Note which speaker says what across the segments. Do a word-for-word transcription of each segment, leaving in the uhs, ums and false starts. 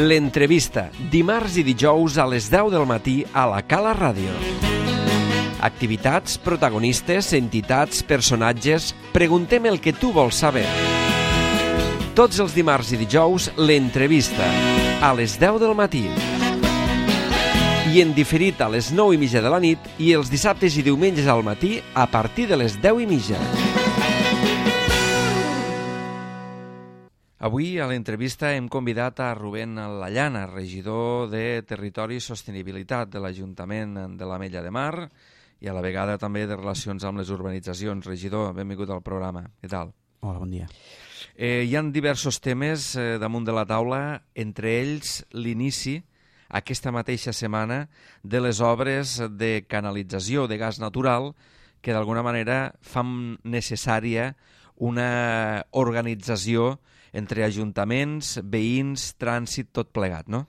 Speaker 1: L'entrevista, dimarts i dijous a les deu del matí a la Cala Ràdio. Activitats, protagonistes, entitats, personatges... Preguntem el que tu vols saber. Tots els dimarts i dijous, l'entrevista, a les deu del matí. I en diferit a les nou i mitja de la nit i els dissabtes i diumenges al matí a partir de les deu i mitja. Avui a l'entrevista hem convidat a Rubén Lallana, regidor de Territori i Sostenibilitat de l'Ajuntament de l'Ametlla de Mar i a la vegada també de Relacions amb les Urbanitzacions. Regidor, benvingut al programa. Què tal?
Speaker 2: Hola, bon dia.
Speaker 1: Eh, hi ha diversos temes eh, damunt de la taula, entre ells l'inici aquesta mateixa setmana de les obres de canalització de gas natural que d'alguna manera fan necessària una organització entre ajuntaments, veïns, trànsit, tot plegat, no?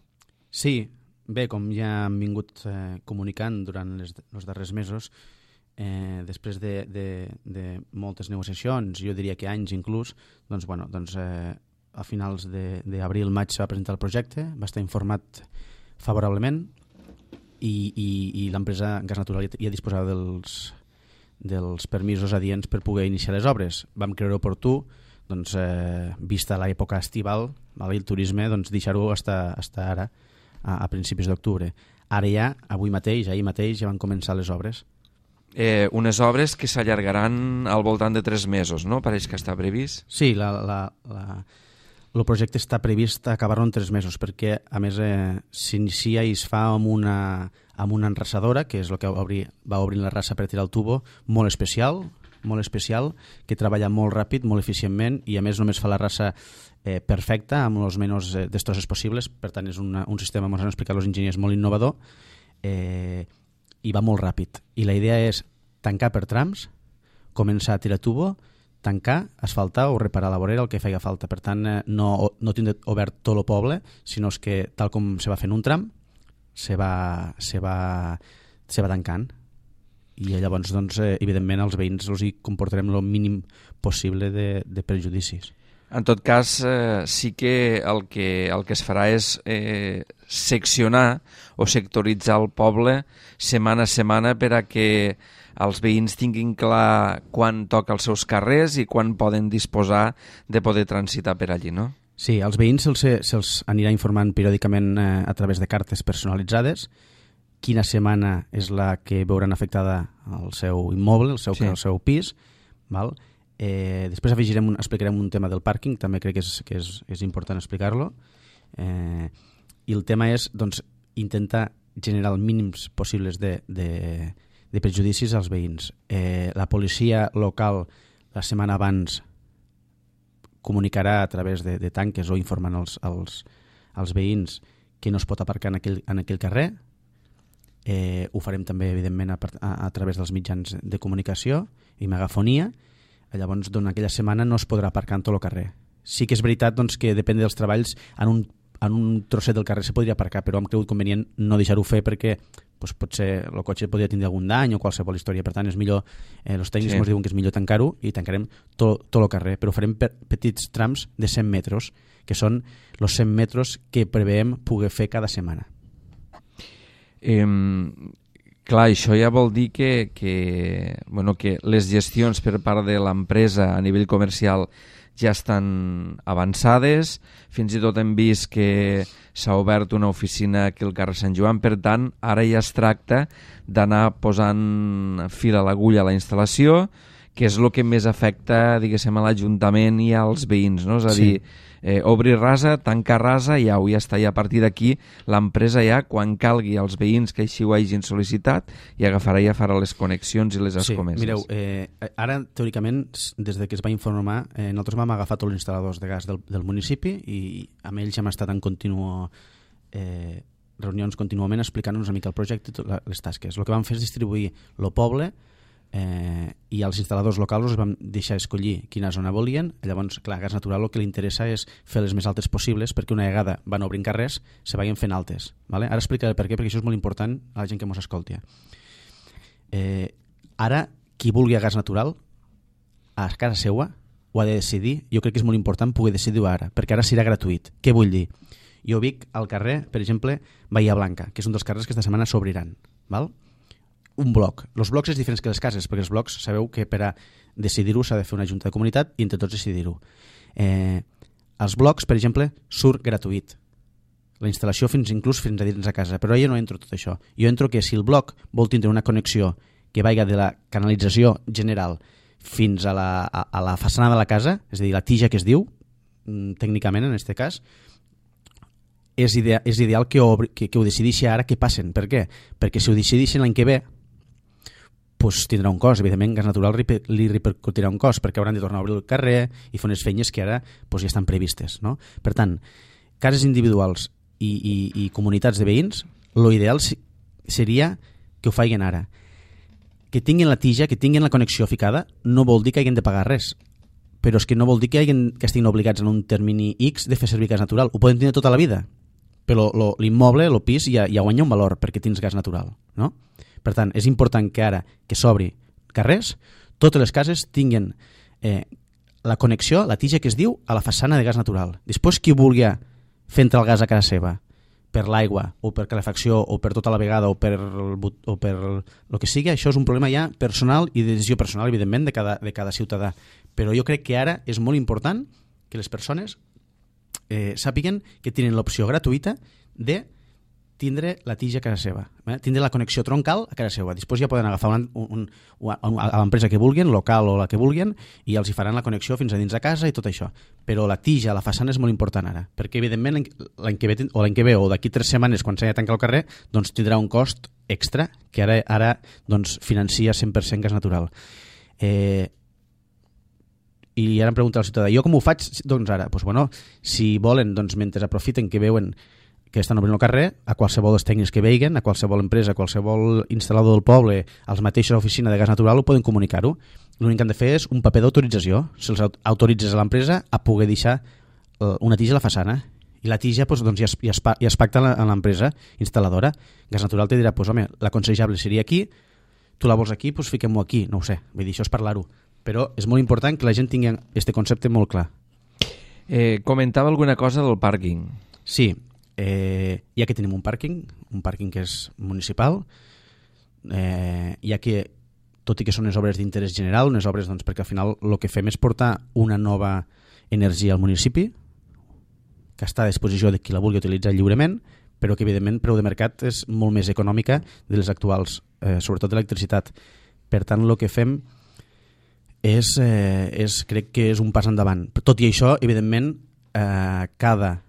Speaker 2: Sí, bé, com ja hem vingut eh, comunicant durant les, els darrers mesos, eh, després de, de, de moltes negociacions, jo diria que anys inclús, doncs, bueno, doncs eh, a finals d'abril, maig se va presentar el projecte, va estar informat favorablement i, i, i l'empresa Gas Natural ja disposava dels, dels permisos adients per poder iniciar les obres. Vam creure oportú, doncs, eh, vista l'època estival, val, el turisme, doncs, deixar-ho hasta, hasta ara, a, a principis d'octubre. Ara ja, avui mateix, ahir mateix, ja van començar les obres.
Speaker 1: Eh, unes obres que s'allargaran al voltant de tres mesos, no? Pareix que està previst.
Speaker 2: Sí, la, la, la, el projecte està previst acabar-lo en tres mesos, perquè, a més, eh, s'inicia i es fa amb una, amb una enrasadora, que és el que va obrir, va obrir la raça per tirar el tubo, molt especial, molt especial, que treballa molt ràpid, molt eficientment, i a més només fa la raça eh, perfecta, amb els menys eh, destrosses possibles. Per tant, és una, un sistema, ens han explicat els enginyers, molt innovador, eh, i va molt ràpid. I la idea és tancar per trams, començar a tirar tubo, tancar, asfaltar o reparar la vorera, el que feia falta. Per tant, eh, no, no tindre obert tot el poble, sinó que, tal com se va fent un tram, se va, se va, se va tancant. I llavors, doncs, eh, evidentment, als veïns els hi comportarem el mínim possible de, de perjudicis.
Speaker 1: En tot cas, eh, sí que el, que el que es farà és eh, seccionar o sectoritzar el poble setmana a setmana per a que els veïns tinguin clar quan toca els seus carrers i quan poden disposar de poder transitar per allí, no?
Speaker 2: Sí, als veïns se'ls, se'ls anirà informant periòdicament eh, a través de cartes personalitzades quina setmana és la que veuran afectada el seu immoble, el seu, sí. el seu pis. Val? Eh, després afegirem un, explicarem un tema del pàrquing, també crec que és, que és, és important explicar-lo. Eh, I el tema és, doncs, intentar generar els mínims possibles de, de, de perjudicis als veïns. Eh, la policia local la setmana abans comunicarà a través de, de tanques o informant els, els, els veïns que no es pot aparcar en aquell, en aquell carrer. Eh, ho farem també, evidentment, a, a, a través dels mitjans de comunicació i megafonia. Llavors, doncs, aquella setmana no es podrà aparcar en tot el carrer. Sí que és veritat, doncs, que depèn dels treballs, en un, en un trosset del carrer se podria aparcar, però hem cregut convenient no deixar-ho fer perquè doncs, potser el cotxe podria tindre algun dany o qualsevol història. Per tant, és millor, eh, els tècnics ens sí. diuen que és millor tancar-ho i tancarem tot, tot el carrer, però farem per, petits trams de cent metres, que són els cent metres que preveiem poder fer cada setmana.
Speaker 1: Eh, clar, això ja vol dir que, que, bueno, que les gestions per part de l'empresa a nivell comercial ja estan avançades, fins i tot hem vist que s'ha obert una oficina aquí al carrer Sant Joan, per tant, ara ja es tracta d'anar posant fil a l'agulla a la instal·lació, que és el que més afecta, diguéssim, a l'Ajuntament i als veïns, no? És a dir, sí. eh, obrir rasa, tancar rasa i au, ja està. I a partir d'aquí l'empresa ja, quan calgui als veïns que així ho hagin sol·licitat, i agafarà i ja farà les connexions i les escomeses.
Speaker 2: Sí, mireu, eh, ara, teòricament, des de que es va informar, eh, nosaltres vam agafar tots els instal·ladors de gas del, del municipi i amb ells hem estat en continu eh, reunions contínuament explicant-nos una mica el projecte i les tasques. El que vam fer és distribuir el poble Eh, i els instal·ladors locals els vam deixar escollir quina zona volien. Llavors, clar, Gas Natural el que li interessa és fer les més altes possibles perquè una vegada van obrint carrers se vagin fent altes, vale? Ara explicaré per què, perquè això és molt important a la gent que ens escolti. Eh, ara, qui vulgui a Gas Natural a casa seua ho ha de decidir. Jo crec que és molt important poder decidir-ho ara, perquè ara serà gratuït. Què vull dir? Jo vic al carrer, per exemple, Bahia Blanca, que és un dels carrers que esta setmana s'obriran. Val? Un bloc. Els blocs és diferents que les cases, perquè els blocs sabeu que per a decidir-ho s'ha de fer una junta de comunitat i entre tots decidir-ho. Eh, els blocs, per exemple, surt gratuït. La instal·lació fins inclús fins a dins a casa, però jo no entro tot això. Jo entro que si el bloc vol tindre una connexió que vaiga de la canalització general fins a la, a, a la façana de la casa, és a dir, la tija que es diu, tècnicament en aquest cas, és, idea, és ideal que, obri, que, que ho decideixi ara que passen. Per què? Perquè si ho decideixen l'any que ve, pues, tindrà un cost. Evidentment, Gas Natural li repercutirà un cost, perquè hauran de tornar a obrir el carrer i fer unes feines que ara pues, ja estan previstes. No? Per tant, cases individuals i, i, i comunitats de veïns, l'ideal seria que ho facin ara. Que tinguin la tija, que tinguin la connexió ficada, no vol dir que hagin de pagar res, però és que no vol dir que, hagin, que estiguin obligats en un termini X de fer servir gas natural. Ho poden tenir tota la vida, però l'immoble, el pis, ja, ja guanya un valor perquè tens gas natural. No? Per tant, és important que ara que s'obri carrers, totes les cases tinguin eh, la connexió, la tija que es diu, a la façana de gas natural. Després, qui vulgui fer entrar el gas a casa seva, per l'aigua, o per calefacció, o per tota la vegada, o per o per el que sigui, això és un problema ja personal i de decisió personal, evidentment, de cada, de cada ciutadà. Però jo crec que ara és molt important que les persones eh, sàpiguen que tenen l'opció gratuïta de tindre la tija a casa seva, eh? Tindre la connexió troncal a casa seva. Després ja poden agafar un, un, un, a l'empresa que vulguin, local o la que vulguin, i els hi faran la connexió fins a dins de casa i tot això. Però la tija, la façana és molt important ara, perquè evidentment l'any que ve o l'any que ve o d'aquí tres setmanes quan s'ha de tancar el carrer, doncs tindrà un cost extra que ara, ara doncs, financia cent per cent gas natural. Eh, I ara em pregunta el ciutadà, jo com ho faig doncs ara? Pues, bueno, si volen, doncs, mentre aprofiten que veuen que estan obrint el carrer, a qualsevol dels tècnics que veiguen, a qualsevol empresa, a qualsevol instal·lador del poble, als mateixos oficina de gas natural, ho poden comunicar-ho. L'únic que han de fer és un paper d'autorització. Se'ls autoritzes a l'empresa a poder deixar una tija a la façana. I la tija doncs, doncs, ja, es, ja, es, ja es pacta a l'empresa instal·ladora. Gas Natural te dirà, pues, home, l'aconsellable seria aquí, tu la vols aquí, doncs fiquem-ho aquí. No ho sé, vull dir, això és parlar-ho. Però és molt important que la gent tingui aquest concepte molt clar.
Speaker 1: Eh, comentava alguna cosa del pàrquing.
Speaker 2: Sí, Eh, ja que tenim un pàrquing, un pàrquing que és municipal, eh, ja que, tot i que són unes obres d'interès general, unes obres doncs, perquè al final el que fem és portar una nova energia al municipi, que està a disposició de qui la vulgui utilitzar lliurement, però que evidentment preu de mercat és molt més econòmica de les actuals, eh, sobretot l'electricitat. Per tant, el que fem és, eh, és, crec que és un pas endavant. Tot i això, evidentment, eh, cada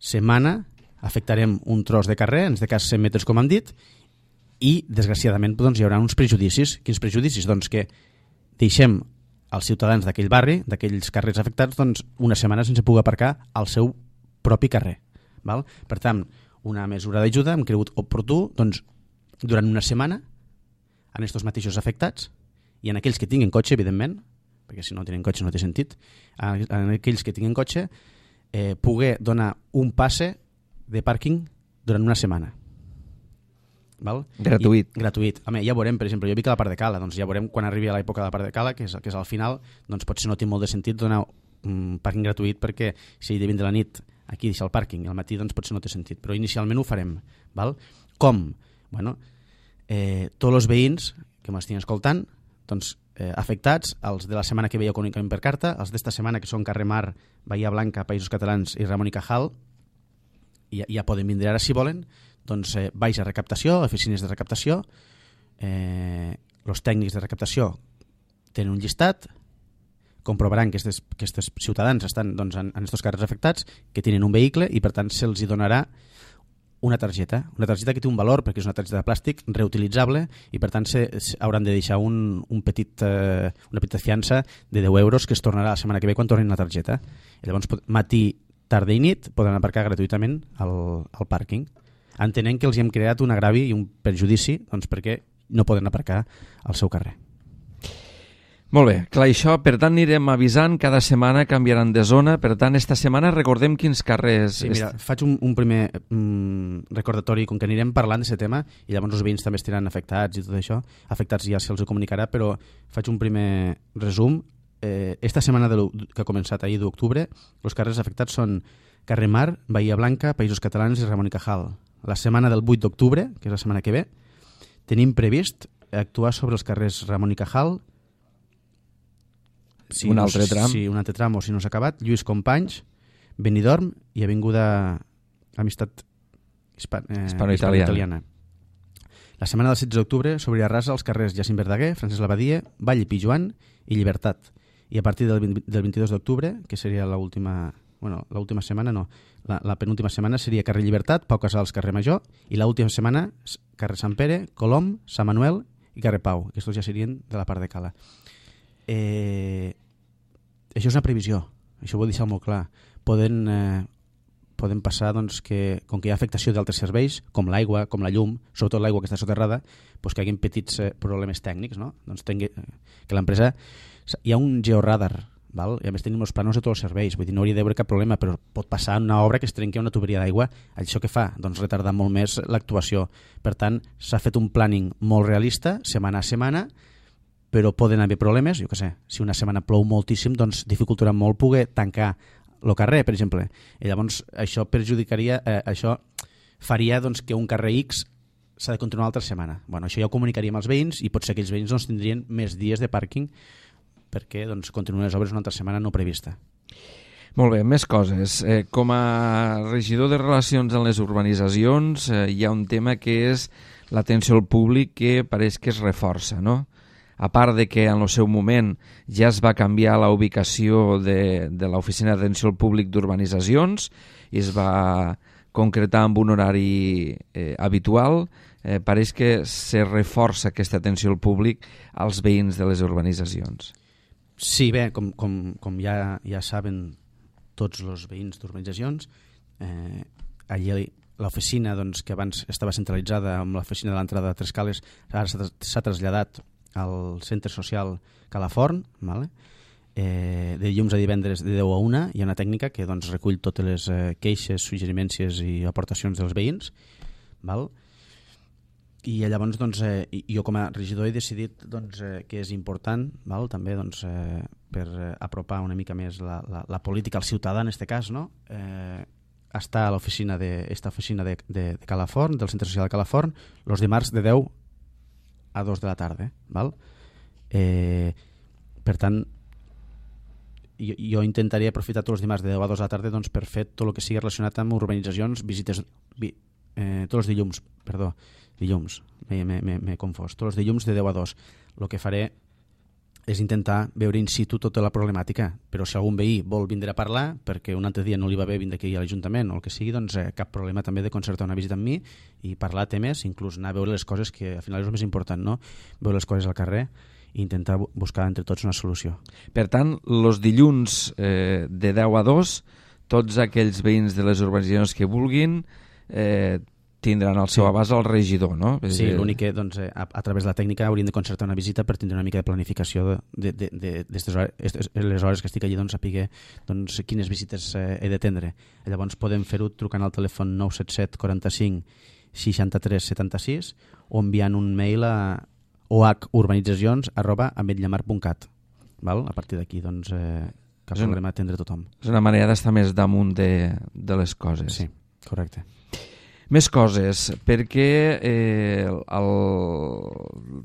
Speaker 2: setmana afectarem un tros de carrer, en aquest cas cent metres com hem dit, i desgraciadament doncs, hi haurà uns prejudicis. Quins prejudicis? Doncs que deixem als ciutadans d'aquell barri, d'aquells carrers afectats, doncs, una setmana sense poder aparcar al seu propi carrer. Val? Per tant, una mesura d'ajuda hem cregut oportú doncs, durant una setmana en aquests mateixos afectats i en aquells que tinguin cotxe, evidentment, perquè si no tenen cotxe no té sentit, en aquells que tinguin cotxe, eh, poder donar un passe de pàrquing durant una setmana. Val?
Speaker 1: Gratuït.
Speaker 2: I, gratuït. Home, ja veurem, per exemple, jo vic a la part de Cala, doncs ja veurem quan arribi a l'època de la part de Cala, que és, que és al final, doncs potser no té molt de sentit donar un pàrquing gratuït perquè si he de vindre a la nit aquí deixar el pàrquing i al matí doncs potser no té sentit, però inicialment ho farem. Val? Com? Bueno, eh, tots els veïns que m'estiguin escoltant, doncs eh, afectats, els de la setmana que veieu comunicament per carta, els d'esta setmana que són Carrer Mar, Bahia Blanca, Països Catalans i Ramon y Cajal, ja, ja poden vindre ara si volen, doncs eh, baix a recaptació, oficines de recaptació, eh, els tècnics de recaptació tenen un llistat, comprovaran que aquests ciutadans estan doncs, en aquests carrers afectats, que tenen un vehicle i per tant se'ls hi donarà una targeta, una targeta que té un valor perquè és una targeta de plàstic reutilitzable i per tant se, se hauran de deixar un, un petit, eh, una petita fiança de deu euros que es tornarà la setmana que ve quan tornin la targeta. I llavors matí, tarda i nit poden aparcar gratuïtament al, al pàrquing. Entenent que els hem creat un agravi i un perjudici doncs, perquè no poden aparcar al seu carrer.
Speaker 1: Molt bé, clar, això, per tant anirem avisant, cada setmana canviaran de zona, per tant esta setmana recordem quins carrers...
Speaker 2: Sí, mira, faig un, un primer mm, recordatori, com que anirem parlant d'aquest tema i llavors els veïns també estiran afectats i tot això, afectats ja se'ls comunicarà, però faig un primer resum. Eh, esta setmana de que ha començat ahir d'octubre, els carrers afectats són Carrer Mar, Bahia Blanca, Països Catalans i Ramon y Cajal. La setmana del vuit d'octubre, que és la setmana que ve, tenim previst actuar sobre els carrers Ramon y Cajal,
Speaker 1: si un altre no, tram.
Speaker 2: Sí, un altre tram o si no s'ha acabat, Lluís Companys, Benidorm i Avinguda Amistat Hispa, eh, Hispano-Italiana. La setmana del setze d'octubre s'obrirà rasa als carrers Jacint Verdaguer, Francesc Labadie, Vall i Pijuan i Llibertat. I a partir del, vint, del vint-i-dos d'octubre, que seria l'última... Bueno, l'última setmana no, la, la penúltima setmana seria carrer Llibertat, Pau Casals, carrer Major, i l'última setmana carrer Sant Pere, Colom, Sant Manuel i carrer Pau. Aquests ja serien de la part de Cala. Eh, això és una previsió, això ho vull deixar molt clar. Poden, eh, poden passar doncs, que, com que hi ha afectació d'altres serveis, com l'aigua, com la llum, sobretot l'aigua que està soterrada, doncs que hi hagi petits eh, problemes tècnics, no? Doncs tingui, que l'empresa... Hi ha un georadar, val? I a més tenim els plànols de tots els serveis, vull dir, no hauria d'haver cap problema, però pot passar una obra que es trenqui una tuberia d'aigua, això què fa? Doncs retardar molt més l'actuació. Per tant, s'ha fet un planning molt realista, setmana a setmana, però poden haver problemes, jo què sé, si una setmana plou moltíssim, doncs dificultarà molt poder tancar el carrer, per exemple. I llavors això perjudicaria, eh, això faria doncs, que un carrer X s'ha de continuar l'altra setmana. Bueno, això ja ho comunicaríem als veïns i potser aquells veïns doncs, tindrien més dies de pàrquing perquè doncs, continuen les obres una altra setmana no prevista.
Speaker 1: Molt bé, més coses. Eh, com a regidor de Relacions en les urbanitzacions eh, hi ha un tema que és l'atenció al públic que pareix que es reforça, no? A part de que en el seu moment ja es va canviar la ubicació de, de l'Oficina d'Atenció al Públic d'Urbanitzacions i es va concretar amb un horari eh, habitual, eh, pareix que se reforça aquesta atenció al públic als veïns de les urbanitzacions.
Speaker 2: Sí, bé, com, com, com ja, ja saben tots els veïns d'urbanitzacions, eh, allí l'oficina doncs, que abans estava centralitzada amb l'oficina de l'entrada de Tres Cales ara s'ha traslladat al centre social Calaforn, vale? eh, de dilluns a divendres de deu a una hi ha una tècnica que doncs, recull totes les eh, queixes, suggerimències i aportacions dels veïns, val? I llavors doncs, eh, jo com a regidor he decidit doncs, eh, que és important val? També doncs, eh, per eh, apropar una mica més la, la, la política al ciutadà en aquest cas, no? eh, està a l'oficina de, esta oficina de, de, de Calaforn, del centre social de Calaforn, els dimarts de deu a dos de la tarda. Val? Eh, per tant, jo, jo intentaria aprofitar tots els dimarts de deu a dos de la tarda doncs, per fer tot el que sigui relacionat amb urbanitzacions, visites, vi, eh, tots els dilluns, perdó, dilluns, m'he confós, tots els dilluns de deu a dos. El que faré és intentar veure in situ tota la problemàtica, però si algun veí vol vindre a parlar, perquè un altre dia no li va bé vindre aquí a l'Ajuntament o el que sigui, doncs eh, cap problema també de concertar una visita amb mi i parlar temes, inclús anar a veure les coses que al final és el més important, no? Veure les coses al carrer i intentar buscar entre tots una solució.
Speaker 1: Per tant, els dilluns eh, de deu a dos, tots aquells veïns de les urbanitzacions que vulguin eh, tindran el seu sí. abast al regidor, no?
Speaker 2: Sí, l'únic que doncs, a, a través de la tècnica hauríem de concertar una visita per tindre una mica de planificació de, de, de, de hores, les hores que estic allí, doncs, saber doncs, quines visites eh, he d'atendre. Llavors podem fer-ho trucant al telèfon nou set set quaranta-cinc seixanta-tres setanta-sis o enviant un mail a o h urbanitzacions arroba ametlllamar punt cat. Val? A partir d'aquí, doncs, eh, cap problema a atendre tothom.
Speaker 1: És una manera d'estar més damunt de, de les coses.
Speaker 2: Sí, correcte.
Speaker 1: Més coses, perquè eh, el,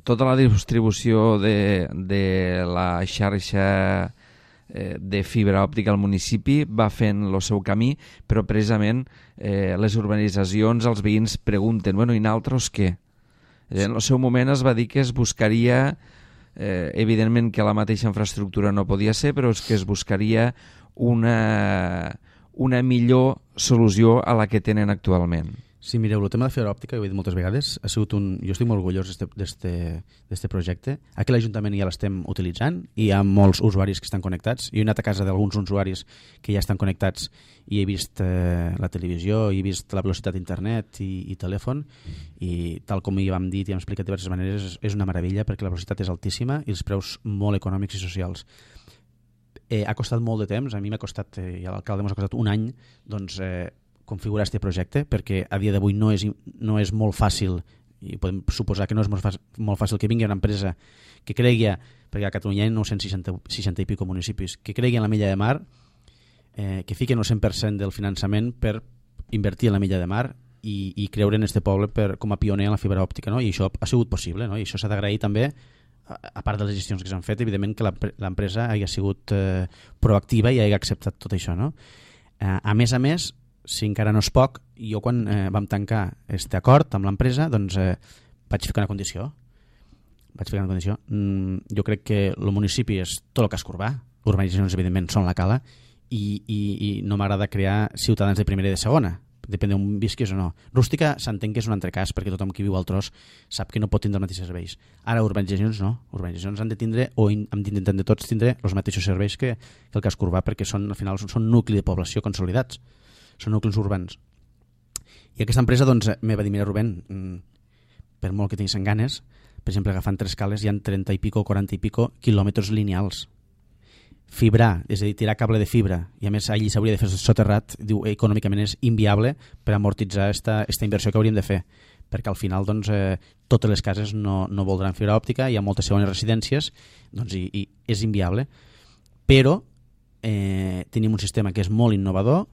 Speaker 1: tota la distribució de, de la xarxa eh, de fibra òptica al municipi va fent el seu camí, però precisament eh, les urbanitzacions, els veïns pregunten, bueno, i nosaltres què? En el seu moment es va dir que es buscaria, eh, evidentment que la mateixa infraestructura no podia ser, però és que es buscaria una, una millor solució a la que tenen actualment.
Speaker 2: Sí, mireu, el tema de fibra òptica, ho he dit moltes vegades, ha sigut un... jo estic molt orgullós d'aquest projecte. Aquí a l'Ajuntament ja l'estem utilitzant i hi ha molts usuaris que estan connectats. Jo he anat a casa d'alguns usuaris que ja estan connectats i he vist eh, la televisió, he vist la velocitat d'internet i, i telèfon i tal com hi vam dir i hem explicat de diverses maneres, és, és una meravella perquè la velocitat és altíssima i els preus molt econòmics i socials. Eh, ha costat molt de temps, a mi m'ha costat, eh, i a l'alcalde m'ha costat un any, doncs... Eh, configurar aquest projecte, perquè a dia d'avui no, és, no és molt fàcil, i podem suposar que no és molt fàcil, molt fàcil que vingui una empresa que cregui, perquè a Catalunya hi ha nou-cents seixanta, seixanta i pico municipis, que cregui en la Milla de Mar, eh, que fiquen el cent per cent del finançament per invertir en la milla de mar i, i creure en este poble per, com a pioner en la fibra òptica, no? I això ha sigut possible, no? I això s'ha d'agrair també, a, a part de les gestions que s'han fet, evidentment que l'empresa hagi sigut eh, proactiva i hagi acceptat tot això, no? Eh, a més a més, si encara no és poc, jo quan eh, vam tancar aquest acord amb l'empresa, doncs eh, vaig ficar una condició. Vaig ficar una condició. Mm, jo crec que el municipi és tot el casc urbà, urbanitzacions evidentment són la cala, i, i, i no m'agrada crear ciutadans de primera i de segona, depèn d'on visquis o no. Rústica s'entén que és un altre cas, perquè tothom que viu al tros sap que no pot tindre els mateixos serveis. Ara, urbanitzacions no. Urbanitzacions han de tindre, o in, hem d'intentar de tots tindre els mateixos serveis que, que el casc urbà, perquè són, al final són, són nucli de població consolidats, són nuclis urbans. I aquesta empresa doncs, me va dir, mira Rubén, per molt que tinguessin ganes, per exemple, agafant tres cales hi ha trenta i pico, quaranta i pico quilòmetres lineals. Fibrar, és a dir, tirar cable de fibra, i a més allí s'hauria de fer soterrat, diu, econòmicament és inviable per amortitzar esta, esta inversió que hauríem de fer, perquè al final doncs, eh, totes les cases no, no voldran fibra òptica, hi ha moltes segones residències, doncs, i, i és inviable. Però eh, tenim un sistema que és molt innovador,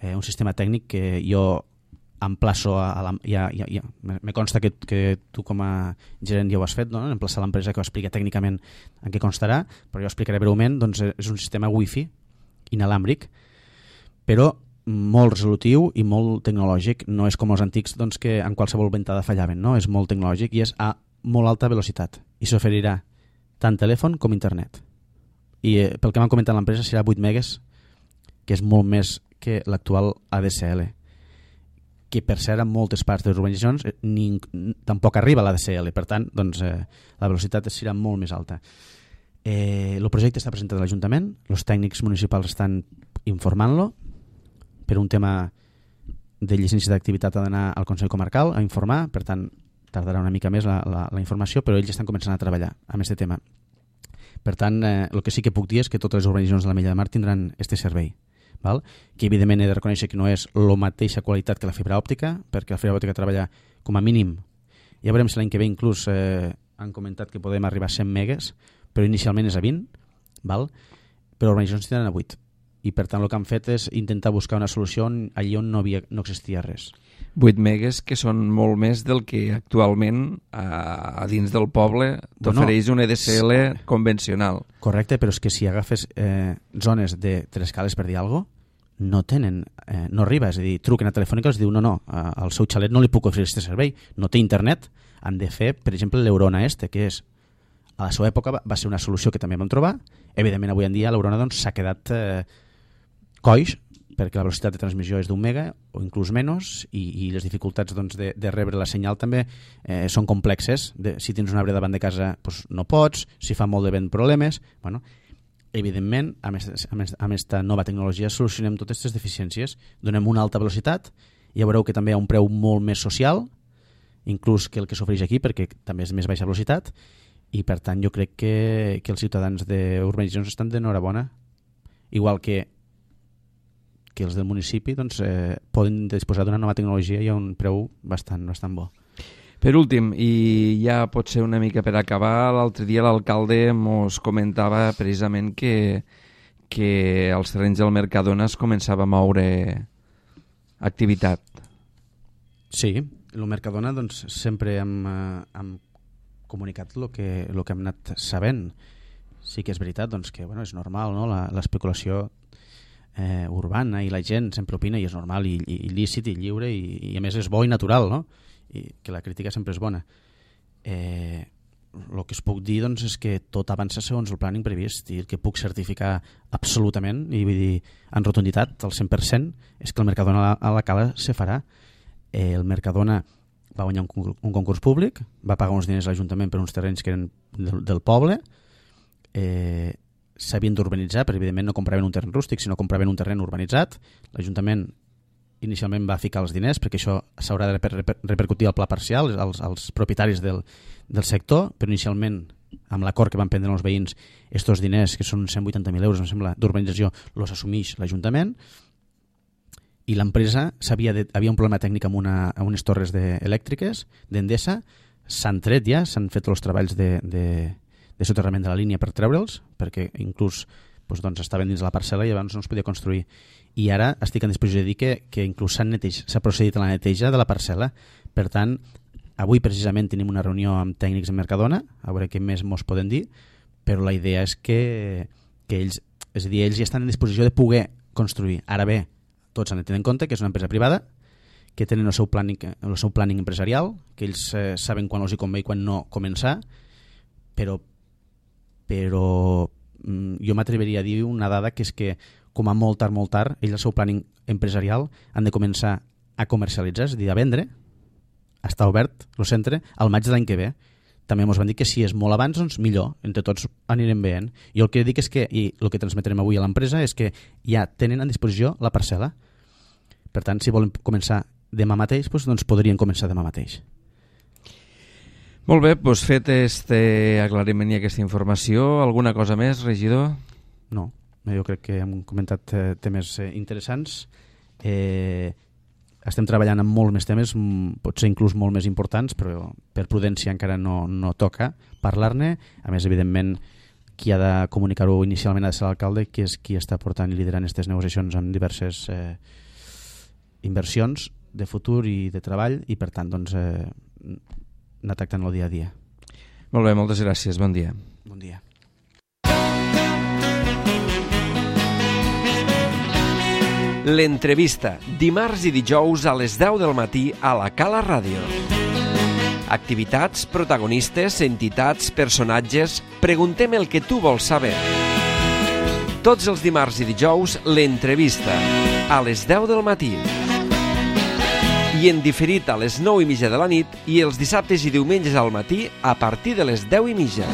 Speaker 2: eh, un sistema tècnic que jo emplaço a, a la, ja, ja, ja, me consta que, que tu com a gerent ja ho has fet, no? Emplaçar l'empresa que ho explica tècnicament en què constarà, però jo explicaré breument, doncs és un sistema wifi inalàmbric, però molt resolutiu i molt tecnològic, no és com els antics doncs, que en qualsevol ventada fallaven, no? És molt tecnològic i és a molt alta velocitat i s'oferirà tant telèfon com internet. I eh, pel que m'han comentat l'empresa serà vuit megues, que és molt més que l'actual A D S L, que per cert en moltes parts de les urbanitzacions ni, tampoc arriba a l'A D S L, per tant doncs, eh, la velocitat serà molt més alta. Eh, el projecte està presentat a l'Ajuntament, els tècnics municipals estan informant-lo, per un tema de llicència d'activitat ha d'anar al Consell Comarcal a informar, per tant tardarà una mica més la, la, la informació, però ells estan començant a treballar amb aquest tema. Per tant, eh, el que sí que puc dir és que totes les urbanitzacions de la Mella de Mar tindran aquest servei. Val? Que evidentment he de reconèixer que no és la mateixa qualitat que la fibra òptica, perquè la fibra òptica treballa com a mínim, ja veurem si l'any que ve inclús eh, han comentat que podem arribar a cent megues, però inicialment és a vint, val? Però les urbanitzacions tindran a vuit, i per tant el que han fet és intentar buscar una solució allí on no, havia, no existia res.
Speaker 1: vuit megues que són molt més del que actualment a, a dins del poble t'ofereix bueno, un E D S L convencional.
Speaker 2: Correcte, però és que si agafes eh, zones de tres cales, per dir alguna cosa, no tenen, eh, no arriba, és a dir, truquen a Telefònica i els diu no, no, al seu xalet no li puc oferir aquest servei, no té internet, han de fer, per exemple, l'Eurona este, que és, a la seva època va, va ser una solució que també vam trobar, evidentment avui en dia l'Eurona doncs, s'ha quedat eh, coix, perquè la velocitat de transmissió és d'un mega o inclús menys, i, i les dificultats doncs, de, de rebre la senyal també eh, són complexes, de, si tens un arbre davant de casa doncs, no pots, si fa molt de vent problemes, bueno, evidentment, amb aquesta nova tecnologia solucionem totes aquestes deficiències, donem una alta velocitat, ja veureu que també hi ha un preu molt més social, inclús que el que s'ofereix aquí, perquè també és més baixa velocitat, i per tant jo crec que, que els ciutadans d'urbanitzacions estan d'enhorabona, igual que, que els del municipi doncs, eh, poden disposar d'una nova tecnologia i a un preu bastant, bastant bo.
Speaker 1: Per últim, i ja pot ser una mica per acabar, l'altre dia l'alcalde ens comentava precisament que, que als terrenys del Mercadona es començava a moure activitat.
Speaker 2: Sí, el Mercadona doncs, sempre hem, eh, hem comunicat el que, lo que hem anat sabent. Sí que és veritat doncs, que bueno, és normal, no? L'especulació eh, urbana i la gent sempre opina i és normal i, i, i lícit i lliure i, i a més és bo i natural, no? I que la crítica sempre és bona. Eh, el que es puc dir doncs, és que tot avança segons el planning previst i el que puc certificar absolutament i vull dir en rotunditat al cent per cent és que el Mercadona a la, a la Cala se farà. Eh, el Mercadona va guanyar un, un concurs públic, va pagar uns diners a l'Ajuntament per uns terrenys que eren del, del poble, eh, s'havien d'urbanitzar, però evidentment no compraven un terreny rústic, sinó compraven un terreny urbanitzat. L'Ajuntament inicialment va ficar els diners perquè això s'haurà de reper repercutir al pla parcial als, als propietaris del, del sector, però inicialment amb l'acord que van prendre els veïns estos diners, que són cent vuitanta mil euros em sembla, d'urbanització, els assumeix l'Ajuntament i l'empresa havia un problema tècnic amb, una, amb unes torres de, elèctriques d'Endesa, s'han tret ja, s'han fet els treballs de, de, de soterrament de la línia per treure'ls, perquè inclús doncs, doncs estaven dins la parcel·la i llavors no es podia construir. I ara estic en disposició de dir que, que inclús s'ha procedit a la neteja de la parcel·la. Per tant, avui precisament tenim una reunió amb tècnics en Mercadona, a veure què més mos poden dir, però la idea és que, que ells, és a dir, ells ja estan en disposició de poder construir. Ara bé, tots han de tenir en compte que és una empresa privada, que tenen el seu planning, el seu planning empresarial, que ells eh, saben quan els hi convé i quan no començar, però, però mm, jo m'atreveria a dir una dada que és que com a molt tard, molt tard, ells el seu planning empresarial han de començar a comercialitzar, és a dir, a vendre, a estar obert el centre al maig de l'any que ve. També ens van dir que si és molt abans, doncs millor, entre tots anirem veient. I el que dic és que, i el que transmetrem avui a l'empresa, és que ja tenen a disposició la parcel·la. Per tant, si volen començar demà mateix, doncs, doncs podrien començar demà mateix.
Speaker 1: Molt bé, doncs fet este aclariment i aquesta informació, alguna cosa més, regidor?
Speaker 2: No, jo crec que hem comentat eh, temes eh, interessants. Eh, estem treballant en molts més temes, potser inclús molt més importants, però per prudència encara no, no toca parlar-ne. A més, evidentment, qui ha de comunicar-ho inicialment ha de ser l'alcalde, que és qui està portant i liderant aquestes negociacions amb diverses eh, inversions de futur i de treball, i per tant doncs, eh, anar tractant el dia a dia.
Speaker 1: Molt bé, moltes gràcies, bon dia.
Speaker 2: Bon dia.
Speaker 1: L'entrevista, dimarts i dijous a les deu del matí a la Cala Ràdio. Activitats, protagonistes, entitats, personatges... Preguntem el que tu vols saber. Tots els dimarts i dijous, l'entrevista, a les deu del matí. I en diferit a les nou i mitja de la nit i els dissabtes i diumenges al matí a partir de les deu i mitja.